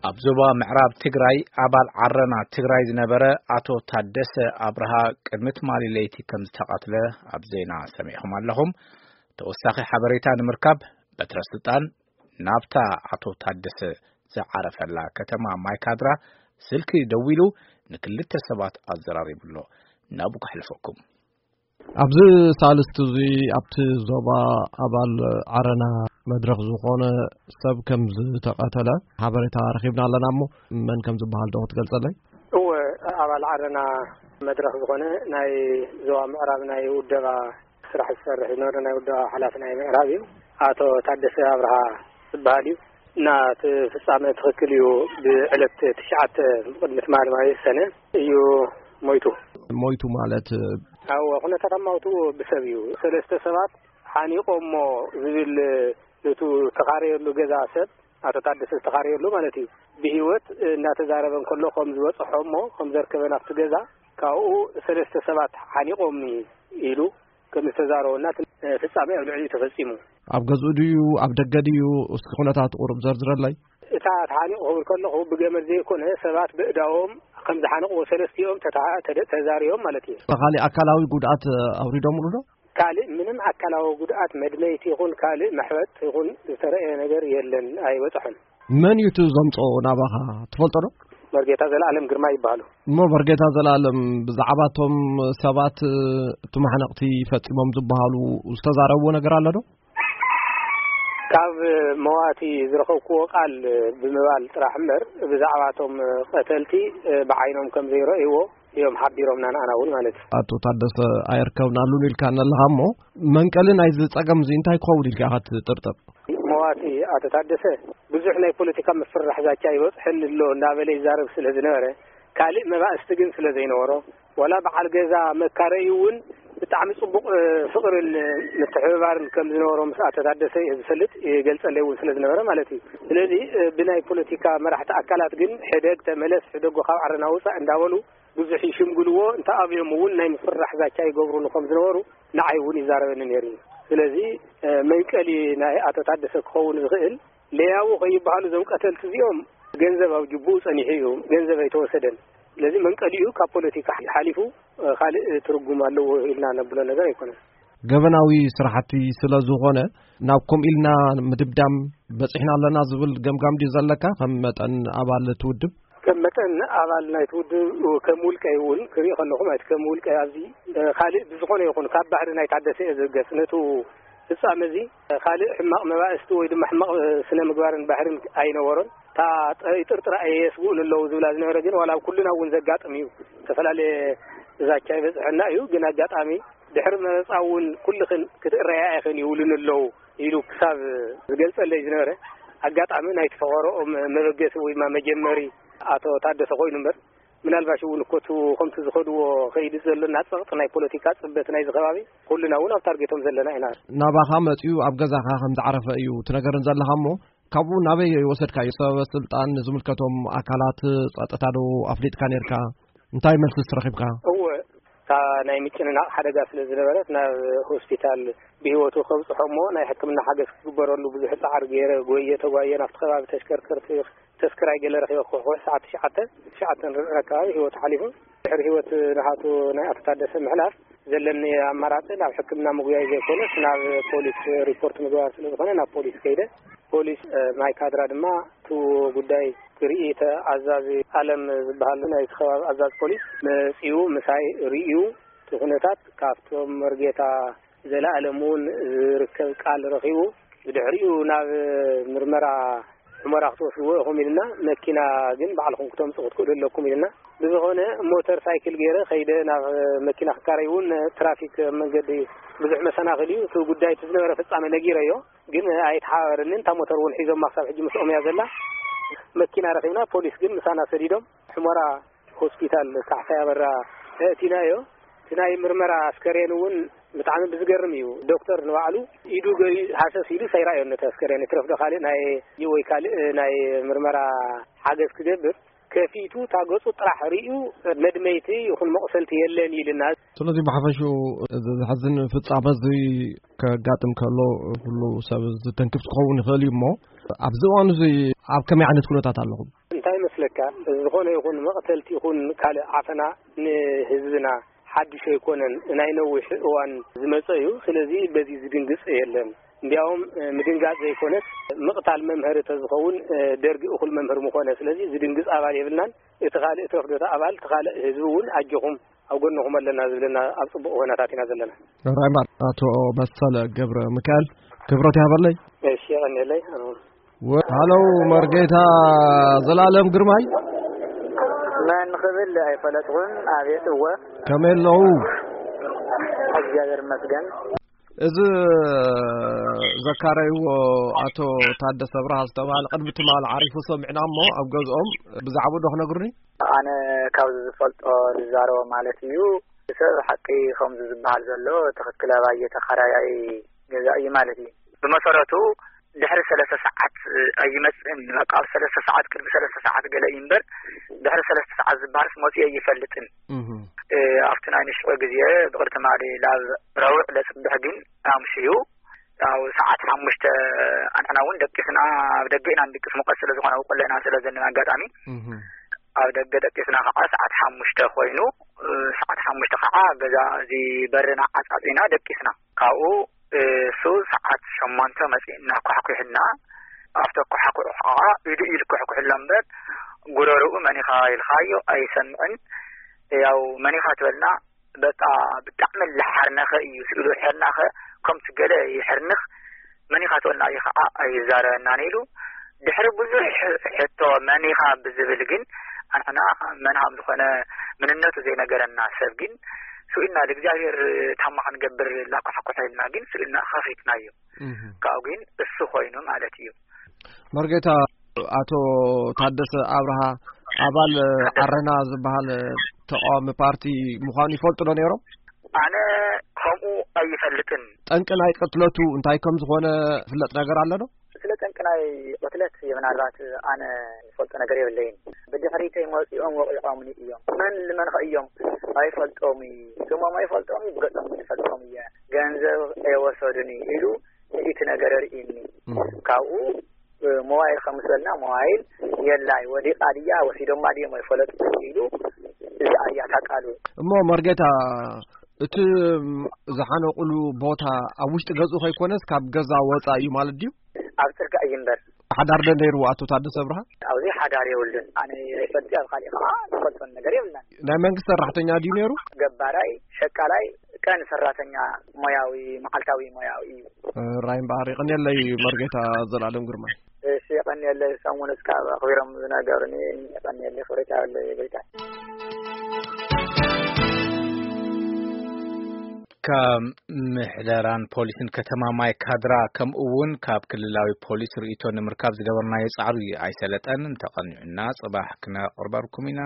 ኣብ ዞባ ምዕራብ ትግራይ ኣባል ዓረና ትግራይ ዝነበረ ኣቶ ታደሰ ኣብርሃ ቅድሚ ትማሊ ለይቲ ከም ዝተቐትለ ኣብ ዜና ሰሚዕኹም ኣለኹም። ተወሳኺ ሓበሬታ ንምርካብ በትረ ስልጣን ናብታ ኣቶ ታደሰ ዝዓረፈላ ከተማ ማይካድራ ስልኪ ደዊሉ ንክልተ ሰባት ኣዘራሪቡ ኣሎ። ናብኡ ከሕልፈኩም። ኣብዚ ሳልስቲ እዚ ኣብቲ ዞባ ኣባል ዓረና መድረኽ ዝኾነ ሰብ ከም ዝተቐተለ ሓበሬታ ረኺብና ኣለና። እሞ መን ከም ዝበሃል ዶ ክትገልጸለይ? እወ፣ ኣባል ዓረና መድረኽ ዝኾነ ናይ ዞባ ምዕራብ ናይ ውደባ ስራሕ ዝሰርሕ ዝነበረ ናይ ውደባ ሓላፊ ናይ ምዕራብ እዩ። ኣቶ ታደሰ ኣብርሃ ዝበሃል እዩ። እና እቲ ፍጻመ ትኽክል እዩ። ብዕለት ትሽዓተ ቅድሚ ትማሊ ማለት ሰነ እዩ ሞይቱ። ሞይቱ ማለት? ኣዎ፣ ኩነታት ኣማውትኡ ብሰብ እዩ። ሰለስተ ሰባት ሓኒቆሞ ዝብል፣ ነቱ ተኻረየሉ ገዛ ሰብ፣ ኣቶ ታደሰ ዝተኻረየሉ ማለት እዩ፣ ብህይወት እናተዛረበ እንከሎ ከም ዝበጽሖ እሞ ከም ዘርከበ ናብቲ ገዛ፣ ካብኡ ሰለስተ ሰባት ሓኒቆምኒ ኢሉ ከም ዝተዛረበና እቲ ፍጻመ ኣብ ልዕሊኡ ተፈጺሙ። ኣብ ገዝኡ ድዩ ኣብ ደገ ድዩ? እስኪ ኩነታት ቁሩብ ዘርዝረለይ። እታ ተሓኒቑ ክብል ከለኹ ብገመድ ዘይኮነ ሰባት ብእዳዎም ከም ዝሓነቑዎ ሰለስቲኦም ተታ-፣ ተደ-፣ ተዛሪቦም ማለት እዩ። ካሊእ ኣካላዊ ጉድኣት ኣውሪዶምሉ ዶ? ካልእ ምንም ኣካላዊ ጉድኣት መድመይቲ ይኹን ካልእ መሕበጥ ይኹን ዝተረእየ ነገር የለን፣ ኣይበጽሖን። መን እዩ እቲ ዘምጽኦ ናባኻ ትፈልጦ ዶ? መርጌታ ዘለኣለም ግርማ ይበሃሉ። እሞ መርጌታ ዘለኣለም ብዛዕባ እቶም ሰባት፣ እቲ ማሕነቕቲ ፈጺሞም ዝበሃሉ ዝተዛረብዎ ነገር ኣሎ ዶ? ካብ መዋቲ ዝረኸብክዎ ቃል ብምባል ጥራሕ እምበር ብዛዕባ እቶም ቀተልቲ ብዓይኖም ከም ዘይረእይዎ እዮም ሓቢሮምና ንኣና እውን ማለት እዩ። ኣቶ ታደሰ ኣይርከብናሉን ኢልካ ኣለኻ እሞ መንቀሊ ናይዚ ጸገም እዚ እንታይ ክኸውን ኢልካ ኢኻ ትጥርጥር? መዋቲ ኣቶ ታደሰ ብዙሕ ናይ ፖለቲካ ምፍርራሕ ዛቻ ይበጽሐኒ ኣሎ እናበለ ይዛረብ ስለ ዝነበረ ካልእ መባእስቲ ግን ስለ ዘይነበሮ ዋላ በዓል ገዛ መካረዩ እውን ብጣዕሚ ጽቡቕ፣ እ፣ ፍቕርን ምትሕብባርን ከም ዝነበሮ ምስ ኣቶ ታደሰ እየ ዝፈልጥ፣ ይገልጸለይ እውን ስለ ዝነበረ ማለት እዩ። ስለዚ፣ እ፣ ብናይ ፖለቲካ መራሕቲ ኣካላት ግን ሕደግ ተመለስ፣ ሕደጎ ካብ ዓረና ውጻእ እንዳበሉ ብዙሕ ይሽምግልዎ፣ እንተ ኣብዮም እውን ናይ ምፍርራሕ ዛቻ ይገብሩሉ ከም ዝነበሩ ንዓይ እውን ይዛረበኒ ነይሩ እዩ። ስለዚ፣ እ፣ መንቀሊ ናይ ኣቶ ታደሰ ክኸውን ዝኽእል ለያቡ ከይበሃሉ እዞም ቀተልቲ እዚኦም ገንዘብ ኣብ ጅቡኡ ጸኒሑ እዩ፣ ገንዘብ ኣይተወሰደን። ስለዚ መንቀሊኡ ካብ ፖለቲካ ሓሊፉ፣ እ፣ ካልእ ትርጉም ኣለዎ ኢልና ነብሎ ነገር ኣይኮነን። ገበናዊ ስራሕቲ ስለ ዝኾነ ናብ ከምኡ ኢልና ምድምዳም በጺሕና ኣለና ዝብል ገምጋም ድዩ ዘለካ ከም መጠን ኣባል እቲ ውድብ? ከም መጠን ኣባል ናይቲ ውድብ፣ ከም ውልቀይ እውን ክርኢ ከለኹ ማለት ከም ውልቀይ ኣብዚ፣ እ፣ ካልእ ብዝኾነ ይኹን ካብ ባህሪ ናይ ታደሰ እየ ዝብገስ። ነቱ ፍጻመ እዚ ካልእ ሕማቕ መባእስቲ ወይ ድማ ሕማቕ ስነ ምግባርን ባህርን ኣይነበሮን። እታ ጠ-፣ ይጥርጥራ እየ የስግኡን ኣለዉ ዝብላ ዝነበረ ግን ዋላ ኣብ ኩልና እውን ዘጋጥም እዩ። ዝተፈላለየ ዛቻ ይበጽሐና እዩ። ግን ኣጋጣሚ ድሕሪ መረጻ እውን ኩልኽን ክትእረያ ኢኽን ይብሉን ኣለዉ ኢሉ ክሳብ ዝገልጸለይ ዝነበረ ኣጋጣሚ ናይቲ ፈቐሮኦም መበገሲ ወይ ድማ መጀመሪ ኣቶ ታደሰ ኮይኑ እምበር ምናልባሽ እውን እኮ እቲ ከምቲ ዝኸድዎ ከይዲ ዘሎና ጸቕጢ ናይ ፖለቲካ ጽበት ናይዚ ከባቢ ኩልና እውን ኣብ ታርጌቶም ዘለና ኢና። ናባኻ መጺኡ ኣብ ገዛኻ ከም ዝዓረፈ እዩ ትነገርን ዘለኻ እሞ ካብኡ ናበይ ወሰድካዮ? ሰበ ስልጣን ዝምልከቶም ኣካላት ጸጥታ ዶ ኣፍሊጥካ ነርካ? እንታይ መልሲ ዝተረኺብካ? እወ፣ እታ ናይ ምጭንናቕ ሓደጋ ስለ ዝነበረት ናብ ሆስፒታል ብህይወቱ ከብጽሖ እሞ ናይ ሕክምና ሓገዝ ክግበረሉ ብዙሕ ጻዕሪ ገይረ፣ ጎየ ተጓየ ናብቲ ከባቢ ተሽከርከርቲ ተስክራይ ገለ ረኺበ ክሕኩሕ ሰዓት ትሽዓተ፣ ትሽዓተ ርብዕን ኣካባቢ ህይወቱ ሓሊፉ። ድሕሪ ህይወት ናሃቱ ናይ ኣቶ ታደሰ ምሕላፍ ዘለኒ ኣማራጺ ናብ ሕክምና ምጉያይ ዘይኮነስ ናብ ፖሊስ ሪፖርት ምግባር ስለ ዝኾነ ናብ ፖሊስ ከይደ። ፖሊስ፣ እ፣ ማይ ካድራ ድማ እቲ ጉዳይ ክርኢ እቲ ኣዛዚ ኣለም ዝበሃል ናይቲ ከባቢ ኣዛዚ ፖሊስ መጺኡ ምሳይ ርእዩ እቲ ኩነታት ካብቶም መርጌታ ዘለኣለም እውን ዝርከብ ቃል ረኺቡ ብድሕሪኡ ናብ ምርመራ ሑመራ ክትወስድዎ ኢኹም ኢልና፣ መኪና ግን ባዕልኹም ክተምጽኡ ክትክእሉ ኣለኩም ኢልና። ብዝኾነ ሞተር ሳይክል ገይረ ከይደ ናብ መኪና ክካረይ እውን ትራፊክ ኣብ መንገዲ ብዙሕ መሰናኽል እዩ። እቲ ጉዳይ እቲ ዝነበረ ፍጻመ ነጊረዮ፣ ግን ኣይተሓባበረንን። እታ ሞተር እውን ሒዞማ ክሳብ ሕጂ ምስኦም እያ ዘላ። መኪና ረኺብና፣ ፖሊስ ግን ምሳና ሰዲዶም ሑመራ ሆስፒታል ካሕሳይ ኣበራ ኣእቲናዮ። እቲ ናይ ምርመራ ኣስከሬን እውን ብጣዕሚ ብዝገርም እዩ። ዶክተር ንባዕሉ ኢዱ ገሪ ሃሰስ ኢሉ ኣይረኣዮን ነቲ ኣስከሬን። ይትረፍ ዶ ካልእ ናይ ወይ ካልእ ናይ ምርመራ ሓገዝ ክገብር ከፊቱ እታ ገጹ ጥራሕ ርእዩ መድመይቲ ይኹን መቕሰልቲ የለን ኢልና። ስለዚ ብሓፈሽኡ እዚ ዘሕዝን ፍጻመ እዚ ከጋጥም ከሎ ኩሉ ሰብ ዝተንክፍ ክኸውን ይኽእል እዩ። እሞ ኣብዚ እዋን እዚ ኣብ ከመይ ዓይነት ኩነታት ኣለኹም? እንታይ ይመስለካ፣ ዝኾነ ይኹን መቕተልቲ ይኹን ካልእ ዓፈና ንህዝብና ሓድሽ ኣይኮነን፣ ናይ ነዊሕ እዋን ዝመጸ እዩ። ስለዚ በዚ ዝድንግጽ የለን። እንዲያውም ምድንጋጽ ዘይኮነስ ምቕታል መምህር ተዝኸውን ደርጊ እኹል መምህር ምኾነ። ስለዚ ዝድንግጽ ኣባል የብልናን። እቲ ካልእ እቲ ወሕዶታ ኣባል፣ እቲ ካልእ ህዝቢ እውን ኣጆኹም ኣብ ጎንኹም ኣለና ዝብለና ኣብ ጽቡቕ ኩነታት ኢና ዘለና። ራይማር ኣቶ መሰለ ገብረ ሚካኤል ክብረት ይሃበለይ። እሺ፣ የቐንየለይ። ወ-፣ ሃሎ፣ መርጌታ ዘላለም ግርማይ። መን ክብል ኣይፈለጥኩን። ኣቤት፣ እወ። ከመይ ኣለዉ? እግዚኣብሔር ይመስገን። እዚ ዘካረይዎ ኣቶ ታደሰ ብርሃ ዝተባህለ ቅድሚ ትማሊ ዓሪፉ ሰሚዕና እሞ ኣብ ገዝኦም ብዛዕባኡ ዶ ክነግሩኒ? ኣነ ካብዚ ዝፈልጦ ዝዛረቦ ማለት እዩ። ሰብ ሓቂ ከምዚ ዝበሃል ዘሎ ትኽክል ኣባየ ተኻራያይ ገዛ እዩ ማለት እዩ። ብመሰረቱ ድሕሪ ሰለስተ ሰዓት ኣይመጽእን። በቃ ኣብ ሰለስተ ሰዓት፣ ቅድሚ ሰለስተ ሰዓት ገለ እዩ እምበር፣ ድሕሪ ሰለስተ ሰዓት ዝበሃልስ መጺኡ ኣይፈልጥን። እህ። እ፣ ኣብቲ ናይ ንሽቆ ግዜ ብቕድቲ ማሊ ላብ ረውዕ ለጽብሕ ግን ኣምሽዩ፣ ያው ሰዓት ሓሙሽተ ኣንሕና እውን ደቂስና፣ ኣብ ደገ ኢና ንድቅስ፣ ሙቐት ስለ ዝኾነ፣ ኣብ ቆሎ ኢና ስለ ዘለና ኣጋጣሚ። እህ። ኣብ ደገ ደቂስና ከዓ ሰዓት ሓሙሽተ ኮይኑ፣ እ፣ ሰዓት ሓሙሽተ ከዓ ገዛ እዚ በርና ዓጻጺና ደቂስና። ካብኡ፣ እ፣ እሱ ሰዓት ሸሞንተ መጺእና ኳሕኲሕና። ኣብቲ ኣኳሓኩዑ ከዓ ኢዱ ኢሉ ኳሕኩሕሎ እምበር፣ ጉረርኡ መኒኻ ኢልካዮ ኣይሰምዕን። ያው መኒኻ ትበልና፣ በቃ ብጣዕሚ ልሓርነኸ እዩ ስኢሉ። ሕርናኸ ከምቲ ገለ ይሕርንኽ፣ መኒኻ ትበልና እዩ ከዓ ኣይዛረበናን ኢሉ። ድሕሪ ብዙሕ ሕቶ መኒኻ ብዝብል ግን፣ ኣንሕና መን ሃም ዝኾነ ምንነቱ ዘይነገረና ሰብ ግን ስኢልና፣ ንእግዚኣብሔር ታማ ክንገብር ላኳሕኩሐልና ግን ስኢልና ኸፊትናዮ። እህ። ካብኡ ግን እሱ ኮይኑ ማለት እዩ። መርጌታ፣ ኣቶ ታደሰ ኣብርሃ ኣባል ዓረና ዝበሃል ተቃዋሚ ፓርቲ ምዃኑ ይፈልጡ ዶ ነይሮም? ኣነ ከምኡ ኣይፈልጥን። ጠንቂ ናይ ቅትለቱ እንታይ ከም ዝኾነ ዝፍለጥ ነገር ኣሎ ዶ? ስለ ጠንቂ ናይ ቅትለት ምናልባት ኣነ ዝፈልጦ ነገር የብለይን። ብድሕሪተይ መጺኦም ወቂቖምኒ እዮም። መን ልመንኸ እዮም? ኣይፈልጦም እዩ። ስሞም ኣይፈልጦም እዩ፣ ብገጾም ግን እፈልጦም እየ። ገንዘብ ኣይወሰዱን እዩ ኢሉ እቲ ነገር ርኢኒ። እም። ካብኡ፣ እ፣ ሞባይል ከም ዝበልና ሞባይል የላይ፣ ወዲቓ ድያ ወሲዶማ ድዮም ኣይፈለጥኩን ኢሉ፣ እዚኣ እያ እታ ቃሉ። እሞ መርጌታ፣ እቲ ዝሓነቑሉ ቦታ ኣብ ውሽጢ ገዝኡ ከይኮነስ ካብ ገዛ ወጻኢ እዩ ማለት ድዩ? ኣብ ጽርግያ እዩ እምበር። ሓዳር ዶ ነይሩ ኣቶ ታደሰ ኣብርሃ? ኣብዚ ሓዳር የብሉን። ኣነ ይፈልጥ፣ ኣብ ካሊእ ከዓ ዝፈልጦን ነገር የብልናን። ናይ መንግስቲ ሰራሕተኛ ድዩ ነይሩ? ገባራይ፣ ሸቃላይ፣ ቀን ሰራተኛ ሞያዊ፣ መዓልታዊ ሞያዊ እዩ። ራይ እምበኣር ይቐንየለይ መርጌታ ዘላለም ግርማይ። እሺ፣ የቐንየለይ ሰሙን እስካብ ኣኽቢሮም ዝነገሩኒ፣ የቐንየለይ ክብረት ያለይ ጎይታ። ካብ ምሕደራን ፖሊስን ከተማ ማይ ካድራ ከምኡ እውን ካብ ክልላዊ ፖሊስ ርእይቶ ንምርካብ ዝገበርናዮ ጻዕሪ ኣይሰለጠን። እንተቐኒዑና ጽባሕ ክነቕርበልኩም ኢና።